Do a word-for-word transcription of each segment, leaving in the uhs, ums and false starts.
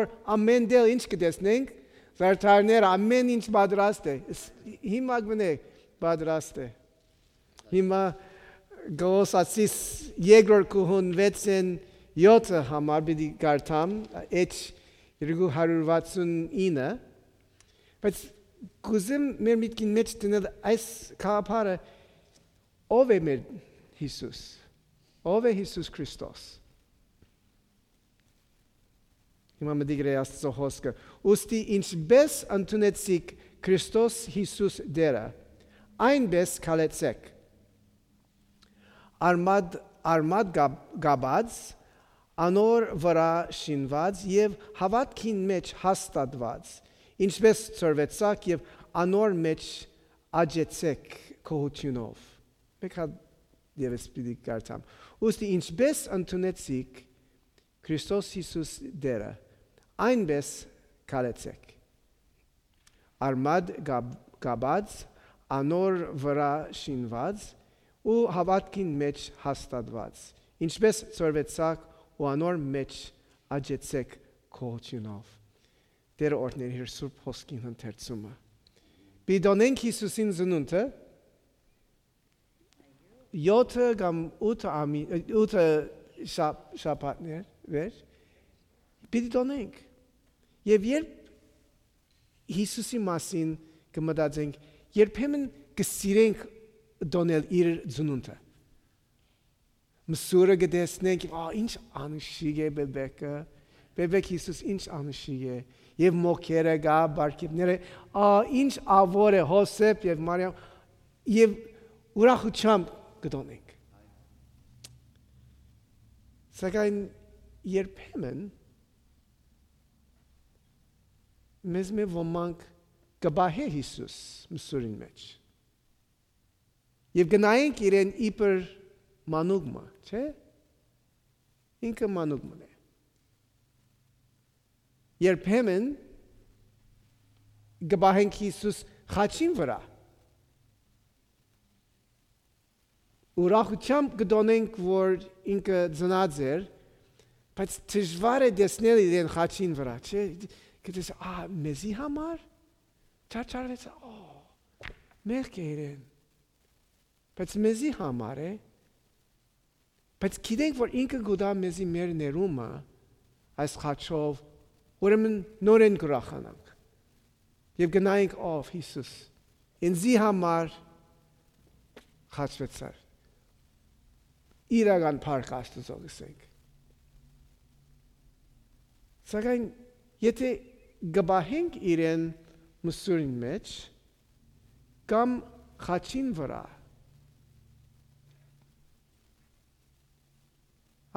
որ ամէն տեղ ինչ կը տեսնենք, զարդարները, ամէն ինչ պատրաստ է։ Ս-, հիմա կ'նե պատրաստ է։ Հիմա Կողոսացիս երկրորդ գլխին վեցէն յոթը համար պիտի կարդամ, էջ երկու հարիւր վաթսուն ինը, բայց կ'ուզեմ մեր միտքին մէջ դնել այս գաղափարը, ո՞վ է մեր Յիսուս, ո՞վ է Յիսուս Քրիստոս։ Հիմա մտիկ գրէ Աստծո խօսքը. «Ուստի ինչպէս ընդունեցիք Քրիստոս Յիսուս Տէրը, այնպէս քալեցէք։ Արմատ, արմատ կապ-, կապած, անոր վրայ շինված եւ հաւատքին մէջ հաստատուած, ինչպէս ցորուեցաք եւ անոր մէջ աճեցէք գոհութիւնով»։ Մէկ հատ ևս պիտի կարդամ. «Ուստի ինչպէս ընդունեցիք Քրիստոս Յիսուս Տէրը, այնպէս քալեցէք։ Արմատ կապ-, կապած, անոր վրայ շինված ու հաւատքին մէջ հաստատուած, ինչպէս ցորուեցաք ու անոր մէջ աճեցէք գոհութիւնով»։ Տէրը օրհնէր իր սուրբ խօսքին ընթերցումը։ Պիտի տոնենք Յիսուսին ծնունդը, յոթը կամ ութը ամի-, ութը շապ-, շաբաթներ վեր, պիտի տոնենք։ Եւ երբ Յիսուսի մասին կը մտածենք, երբեմն կը սիրենք տոնել իր ծնունդը։ Մսուրը կը տեսնենք, ա, ինչ անշիկ է բեբեկը, բեբեք Յիսուս ինչ անշիկ է, եւ մոքերը կայ, պարգեւները, ա, ինչ ավոր է Յովսէփ եւ Մարիամ, եւ ուրախութեամբ կը տոնենք։ Սակայն երբեմն մեզմէ ոմանք կը պահէ Յիսուս մսուրին մէջ։ Եւ կը նայենք իրեն իբր մանուկ մը, չէ՞։ Ինքը մանուկ մըն է։ Երբեմն կը պահենք Յիսուս խաչին վրայ։ Ուրախութեամբ կը տոնենք, որ ինքը ծնած էր, բայց դժուար է տեսնել իրեն խաչին վրայ, չէ՞։ Կը տեսնես, ա, մեզի համար չարչարուեցաւ, ա, մեղք է իրեն։ Բայց մեզի համար է, բայց գիտենք, որ ինքը կու տայ մեզի մեր ներումը այս խաչով, ուրեմն նորէն կ'ուրախանանք։ Եւ կը նայենք, ով Յիսուս, ինծի համար խաչուեցար։ Իրական փառք Աստուծոյ, կ'ըսենք։ Սակայն եթէ կը պահենք իրեն մսուրին մէջ, կամ խաչին վրայ,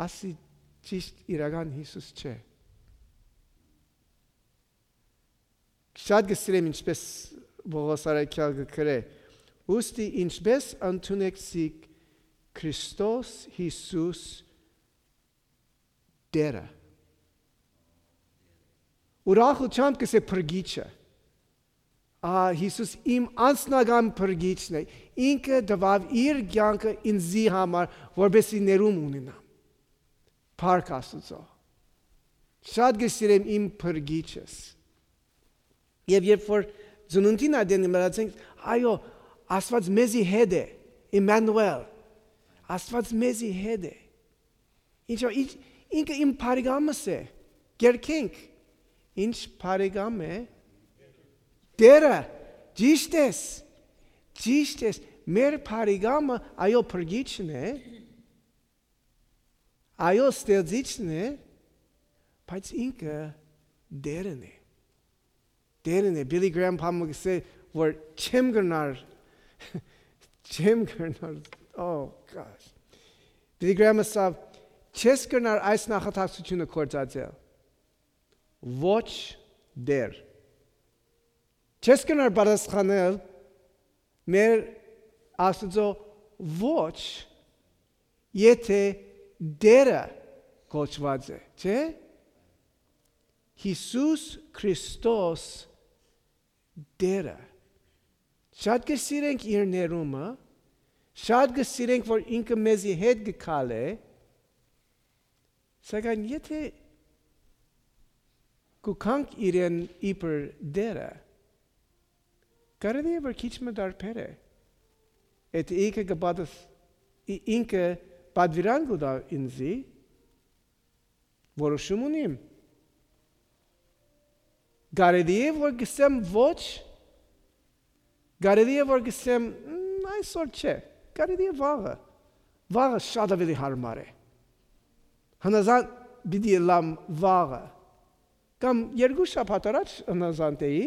ասի ճիշդ իրական Յիսուս չէ։ Շատ կը սիրեմ, ինչպէս Պողոս առաքեալ կը գրէ, ուստի ինչպէս ընդունեցիք Քրիստոս Յիսուս Տէրը։ Ուրախութեամբ կ'ըսէ փրկիչը։ Ա, Յիսուս իմ անձնական փրկիչն է։ Ինքը տուաւ իր կեանքը ինծի համար, որպեսզի ներում ունենամ։ Փառք Աստուծոյ։ Շատ կը սիրեմ իմ փրկիչս։ Եւ երբ որ ծնունդին ատեն մտածենք, այո, Աստուած մեզի հետ է, Էմմանուէլ, Աստուած մեզի հետ է։ Ինչո՞, ինչ, ինքը իմ բարեկամս է, կերքենք։ Ինչ բարեկամ է։ Տերը, ճիշդ ես, ճիշդ ես, մեր բարեկամը, այո, փրկիչն է, այո, ստեղծիչն է, բայց ինքը Տերն է։ Տերն է, Billy Graham պահմը կ'ըսէ, որ չեմ կրնար, չեմ կրնար, oh gosh. Billy Graham ըսաւ, չես կրնար այս նախատակցությունը գործածել, ոչ Տեր։ Չես կրնար պատասխանել մեր Աստուծոյ ոչ, եթէ Տերը կոչուած է, չէ՞։ Յիսուս Քրիստոս Տերը։ Շատ կը սիրենք իր ներումը, շատ կը սիրենք, որ ինքը մեզի հետ կը քալէ, սակայն եթէ կու գանք իրեն իբր Տէրը, կարելի է որ քիչ մը տարբեր է։ Եթէ ինքը կը պատս-, ի-, ինքը պատուիրան կու տայ ինծի, որոշում ունիմ։ Կարելի է որ կսեմ ոչ, կարելի է որ կսեմ, «Մ, այսօր չէ», կարելի է վաղը։ Վաղը շատ ավելի հարմար է։ Հնազանդ պիտի ըլլամ վաղը։ Կամ երկու շաբաթ առաջ հնազանդ էի,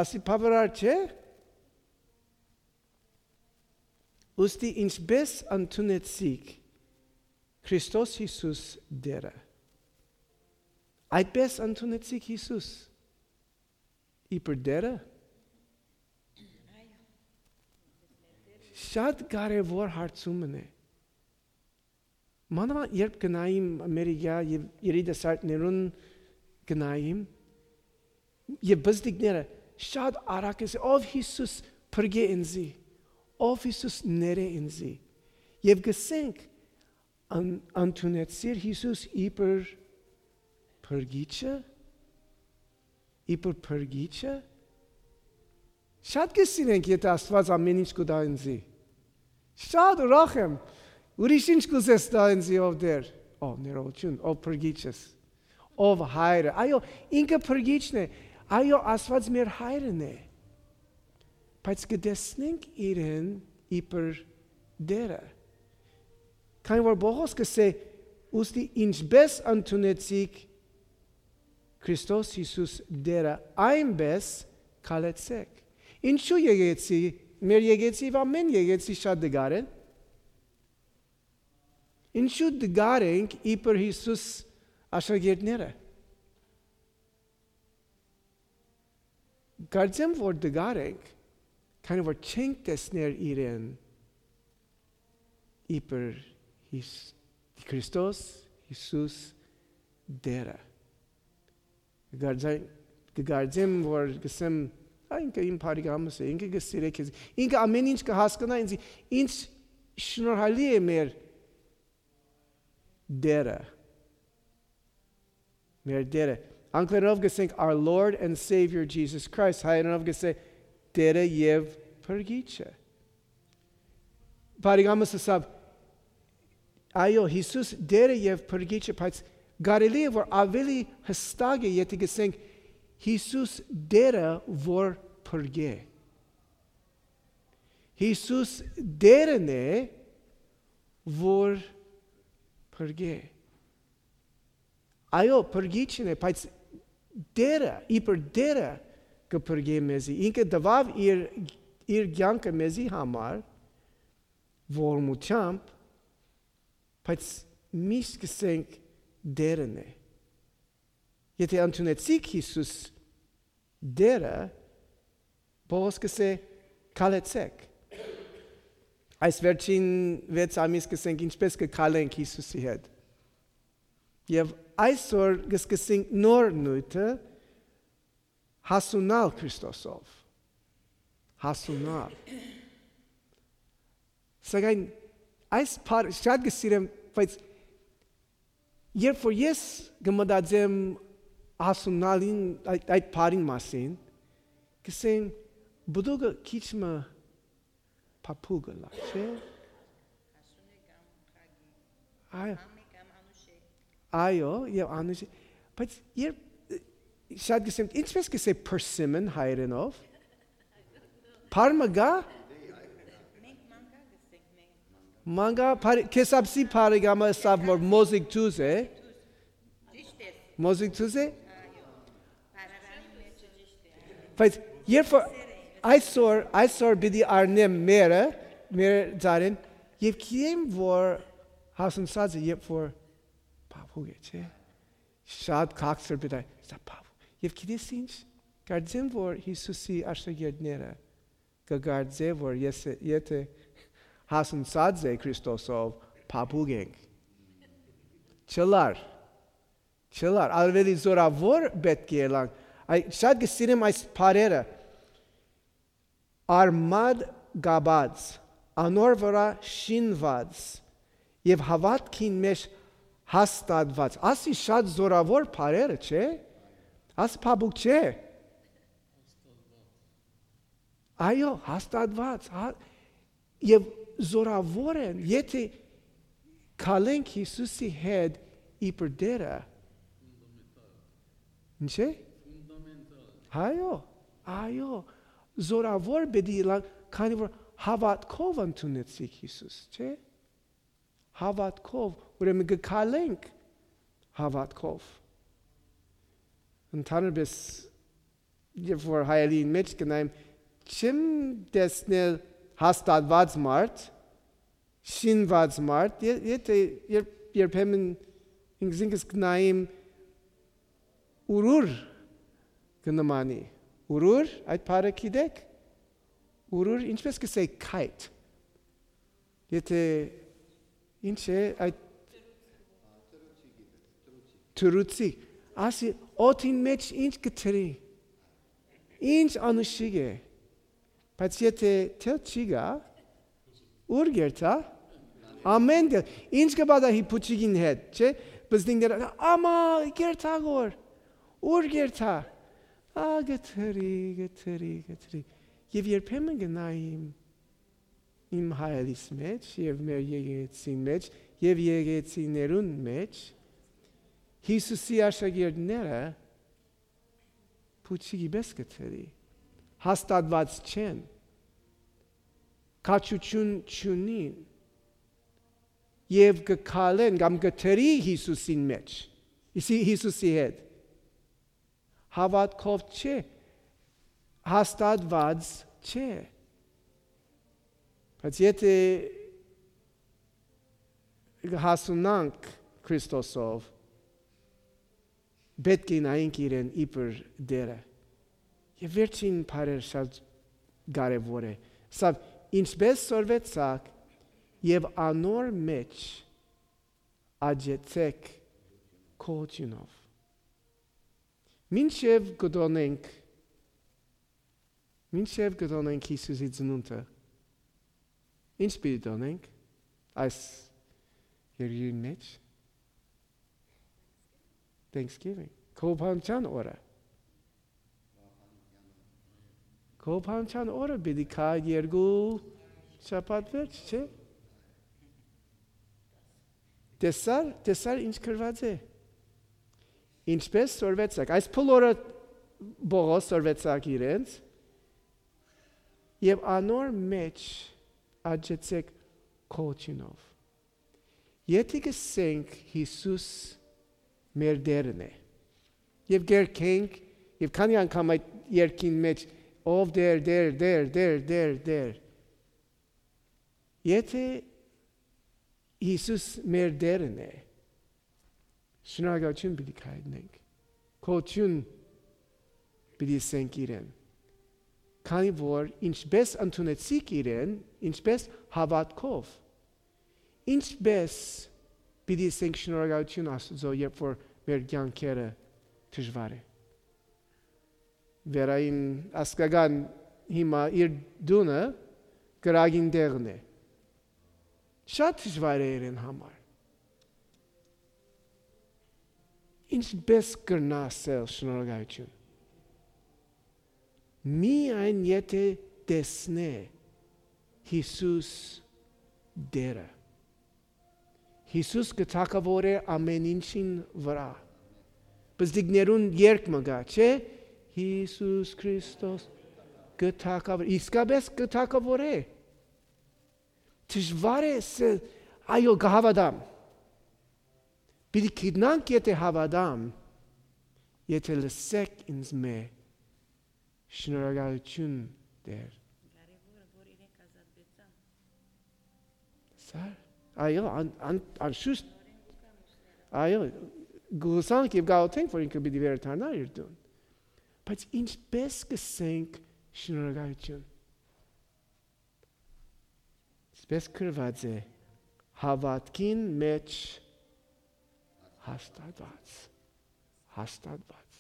ասի բավարար չէ, ուստի ինչպես ընդունեցիք Քրիստոս Յիսուս Տէրը, այդպես ընդունեցիք Յիսուս իբր Տէրը։ Շատ կարևոր հարցում մը է։ Մանավանդ երբ գնայինք Ամերիկա եւ երիտասարդներուն գնայինք, եւ բզդիկները շատ արագ կ'ըսեն, «Ով Յիսուս, փրկէ ինծի, ով Յիսուս, ներէ ինծի»։ Եւ կ'ըսենք, «Ան-, ընդունեցիր Յիսուս իբր փրկիչը, իբր փրկիչը»։ Շատ կը սիրենք, եթէ Աստուած ամեն ինչ կու տայ ինծի։ Շատ ուրախ եմ։ Ուրիշ ինչ կ'ուզես տայ ինծի, ով Տէր, ով ներողություն, ով փրկիչս, ով հայրը։ Այո, ինքը փրկիչն է։ Այո, Աստուած մեր հայրն է։ Բայց կը տեսնենք իրեն իբր Տէրը։ Քանի որ Պողոս կ'ըսէ, ուստի ինչպես ընդունեցիք Քրիստոս Յիսուս Տէրը, այնպես քալեցէք։ Ինչու եկեցի, մեր եկեցի, եւ ամեն եկեցի շատ դգար են։ Ինչու դգար ենք իբր Յիսուս աշակերտները։ Կարծեմ որ դգար ենք, քանի որ չենք տեսներ իրեն իբր Յիս-, Քրիստոս Յիսուս Տէրը։ Կկարծա-, կկարծեմ որ կ'ըսեմ, «Ա, ինքը իմ բարեկամս է, ինքը կը սիրէ քեզ, ինքը ամեն ինչ կը հասկնայ ինձ, ինչ շնորհալի է մեր Տէրը»։ Մեր Տէրը։ Անգլերենով կ'ըսենք, «Our Lord and Savior Jesus Christ», հայերէնով կ'ըսենք, «Տէրը եւ Փրկիչը»։ Բարեկամս ըսաւ, «Այո, Յիսուս Տէրը եւ Փրկիչը», բայց կարելի է որ ավելի յստակ է, եթէ կ'ըսենք, «Յիսուս Տէրը որ փրկէ»։ Յիսուս Տէրն է որ փրկէ։ Այո, փրկիչն է, բայց Տէրը, իբր Տէրը կը փրկէ մեզի։ Ինքը տուաւ իր, իր կեանքը մեզի համար, ողորմութեամբ, բայց միշտ կ'ըսենք Տէրն է։ Եթէ ընդունեցիք Յիսուս Տէրը, Պողոս կ'ըսէ, քալեցէք։ Այս վերջին վեց ամիս կ'ըսենք, ինչպես կը քալենք Յիսուսի հետ։ Եւ այսօր կը սկսենք նոր նիւթը, հասունալ Քրիստոսով։ Հասունալ։ Սակայն այս բառ-, շատ կը սիրեմ, բայց երբ որ ես կը մտածեմ հասունալին, այդ, այդ բառին մասին, կ'ըսեմ, պտուկը քիչ մը փափուկ ըլլայ, չէ՞։ Այո, այո, եւ անուշ-, բայց երբ, շատ կ'ըսեմ, ինչպես կ'ըսե persimmon հայերէնով։ Բառ մը կա։ Մանգա, բարի-, քեսապսի բարեկամը ըսաւ որ մոզիկ թուզ է։ Մոզիկ թուզ է։ Բայց երբ որ այսօր, այսօր պիտի առնեմ մերը, մեր ձարին, եւ գիտեմ որ հասունցած է, երբ որ փափուկ է, չէ՞։ Շատ քաղցր պիտի, սա փափուկ։ Եվ գիտես ինչ, կարծեմ որ Յիսուսի աշակերտները կը կարծէ որ ես, եթէ հասունցած է Քրիստոսով, փափուկ ենք։ Չլար, չլար, ավելի զորավոր պէտք է ելանք։ Այ, շատ կը սիրեմ այս բառերը։ Արմատ կապած, անոր վրայ շինուած եւ հաւատքին մէջ հաստատուած։ Ասի շատ զորավոր բառերը, չէ՞։ Ասի փափուկ չէ։ Այո, հաստատուած, հա, եւ զորաւոր են, եթէ քալենք Յիսուսի հետ իբր Տէրը։ Ինչ է։ Այո, այո, զորաւոր պիտի ըլլան, քանի որ հաւատքով ընդունեցիք Յիսուս, չէ՞։ Հաւատքով, ուրեմն կը քալենք հաւատքով։ Ընդհանրապես, երբ որ հայելին մէջ գնայ, չեմ տեսնել հաստատուած մարդ, շինուած մարդ, ե-, եթէ երբ-, երբեմն ինքզինքս գնայ, ուրուր կը նմանի։ Ուրուր, այդ բառը գիտեք։ Ուրուր, ինչպես կ'ըսէ, քայթ։ Եթէ, ինչ է, այդ թռուցի, ասի, օդին մէջ ինչ կը թռի, ինչ անուշիկ է, բայց եթէ թել չի գայ, ո՞ւր կ'երթայ։ Ամէն տեղ, ինչ կը պատահի փուչիկին հետ, չէ՞, բզնինները, ամա, կ'երթայ գոր, ո՞ւր կ'երթայ։ Ա, կը թռի, կը թռի, կը թռի։ Եւ երբեմն կը նայ իմ, իմ հայելիս մէջ եւ մեր եկեղեցին մէջ եւ եկեղեցիներուն մէջ, Յիսուսի աշակերտները փուչիկի պէս կը թռի, հաստատուած չեն, քաջութիւն չունին եւ կը քալեն կամ կը թռի Յիսուսին մէջ, Յիսի-, Յիսուսի հետ։ Հաւատքով չէ, հաստատուած չէ։ Բայց եթէ կը հասունանք Քրիստոսով, պէտք է նայենք իրեն իբր Տէրը։ Եւ վերջին բառերը շատ կարեւոր է։ Սա, ինչպես սորվեցաք, եւ անոր մէջ աճեցեք գոհութիւնով։ Մինչեւ կը տոնենք, մինչեւ կը տոնենք Յիսուսի ծնունդը, ինչ պիտի տոնենք այս երկրին մէջ։ Thanksgiving, գովաբանության օրը։ Գովաբանության օրը պիտի գայ երկու շաբաթ վերջ, չէ՞։ Տեսա՞ր, տեսա՞ր ինչ գրուած է։ Ինչպես սորվեցաք, այս բոլորը Պողոս սորվեցաք իրենց, եւ անոր մէջ աճեցեք գոհութիւնով։ Եթէ կ'ըսենք Յիսուս մեր Տէրն է, եւ կ'երգենք, եւ քանի՞ անգամ այդ երգին մէջ, «Ով Տէր, Տէր, Տէր, Տէր, Տէր, Տէր»։ Եթէ Յիսուս մեր Տէրն է, շնորհակալութիւն պիտի քայլենք, գոհութիւն պիտի ըսենք իրեն, քանի որ ինչպես ընդունեցիք իրեն, ինչպես հաւատքով, ինչպես պիտի ըսենք շնորհակալութիւն Աստուծոյ, երբ որ մեր կեանքերը դժուար է։ Վերային ազգական հիմա իր տունը կրակին տեղն է։ Շատ դժուար է իրեն համար։ Ինչպես կրնայ ասել շնորհակալութիւն։ Միայն եթէ տեսնէ Յիսուս Տէրը։ Յիսուս կը թագաւորէ ամէն ինչին վրայ։ Պզտիկներուն երգ մը կայ, չէ՞։ Յիսուս Քրիստոս կը թագաւոր-, իսկապես կը թագաւորէ։ Դժուար է ըսել, «Այո, կը հաւատամ»։ Պիտի գիտնանք, եթէ հաւատամ, եթէ լսեք ինձ մէ, շնորհակալութիւն, Տէր։ Կարեւորը, որ իրենք ազատվեցան։ Սա, այո, ան-, ան-, անշուշտ, այո, գուսանք եւ գաղութենք, որ ինքը պիտի վերադառնա իր տուն։ Բայց ինչպես կ'ըսենք շնորհակալութիւն։ Այսպես գրուած է, հաւատքին մէջ հաստատուած, հաստատուած։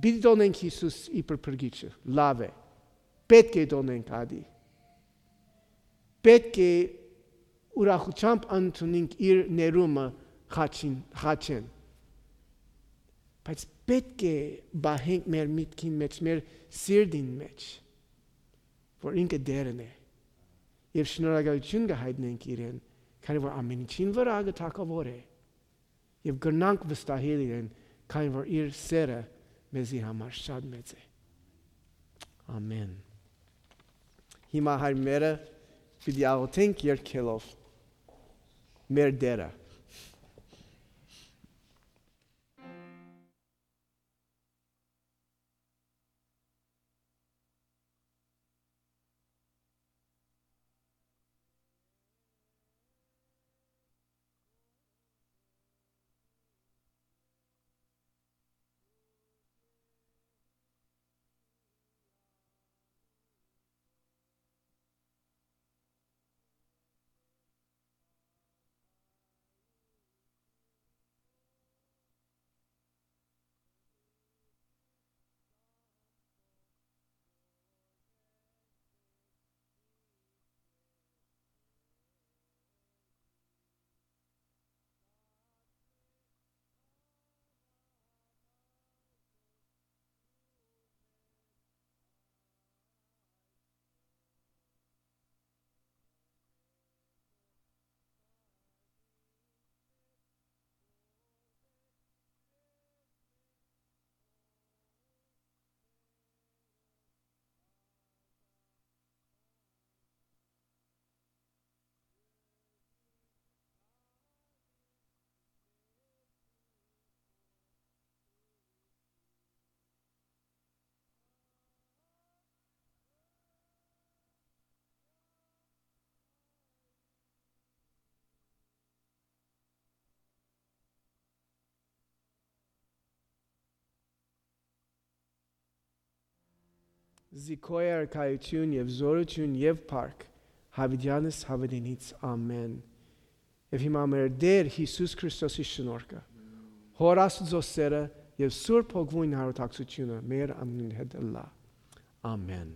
Պիտի տոնենք Յիսուս իբր փրկիչը, լաւ է։ Պէտք է տոնենք ադի։ Պէտք է ուրախութեամբ ընդունենք իր ներումը խաչին, խաչեն։ բայց պէտք է պահենք մեր միտքին մէջ, մեր սիրտին մէջ, որ ինքը Տէրն է, եւ շնորհակալութիւն կը յայտնենք իրեն, քանի որ ամէն ինչին վրայ կը թագաւոր է, եւ կրնանք վստահել իրեն, քանի որ իր սէրը մեզի համար շատ մեծ է։ Ամէն։ Հիմա, հայրերը, պիտի աղոթենք երգելով մեր Տէրը։ Զի քոյ արքայութիւն եւ զօրութիւն եւ փառք, յաւիտեանս յաւիտենից, ամէն։ Եւ հիմա մեր Տէր Յիսուս Քրիստոսի շնորհքը, Հօր Աստուծոյ սէրը եւ Սուրբ Հոգւոյն յարութակցութիւնը մեր ամենին հետ ըլլայ։ Ամէն։